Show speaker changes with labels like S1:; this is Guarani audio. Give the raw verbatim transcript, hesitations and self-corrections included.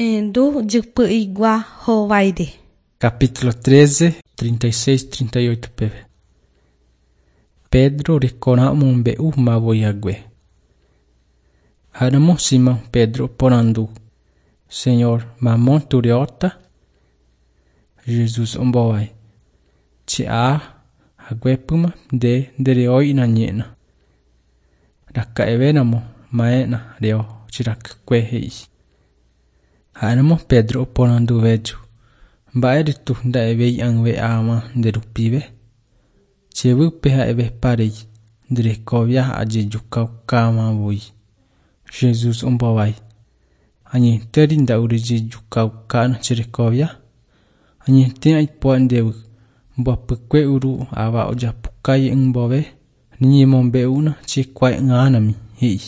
S1: Endu jypy'igua hováire.
S2: Capítulo treze, trinta e seis, trinta e oito peve. Pedro rekorã omombe'u mavoihague. Ha'éramo Simón Pedro oporandu: Señor, mamo tureóta? Jesús ombohovái: Che aha haguépyma nde ndereói nañéna. Raka'evéramo ma'ẽna reo che rakykue he'i. Ha'éramo Pedro oporanduvéju: Mba'éretu nda'evéi ag̃ave áma nde rupive? Chevýpe ha'eveparei nde rekovia ajejukaukamavoi. Jesús ombohovái: Añetéri nda'urejejukaukána che rekovia? Añete aipo'a ndéve mbohapykue uru ava ojapukái ymbove reñemombe'úna che kuaa'ỹrãmi, he'i.